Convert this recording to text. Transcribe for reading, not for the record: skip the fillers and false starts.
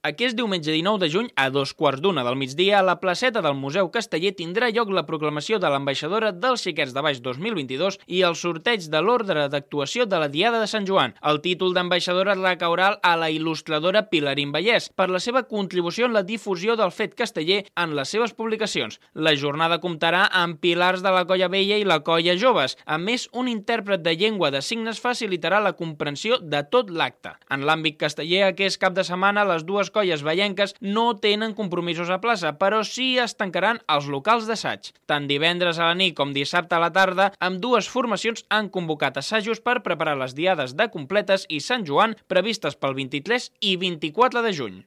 Aquest diumenge 19 de juny, a 2:15 del migdia, a la placeta del Museu Casteller tindrà lloc la proclamació de l'ambaixadora dels Xiquets de Baix 2022 i el sorteig de l'ordre d'actuació de la Diada de Sant Joan. El títol d'ambaixadora recaurà a la il·lustradora Pilarín Vallès per la seva contribució en la difusió del fet casteller en les seves publicacions. La jornada comptarà amb pilars de la Colla Vella i la Colla Joves. A més, un intèrpret de llengua de signes facilitarà la comprensió de tot l'acte. En l'àmbit casteller, aquest cap de setmana, les dues colles vallenques no tenen compromisos a plaça, però sí es tancaran els locals d'assaig. Tant divendres a la nit com dissabte a la tarda, ambdues formacions han convocat assajos per preparar les diades de Completes i Sant Joan previstes pel 23 i 24 de juny.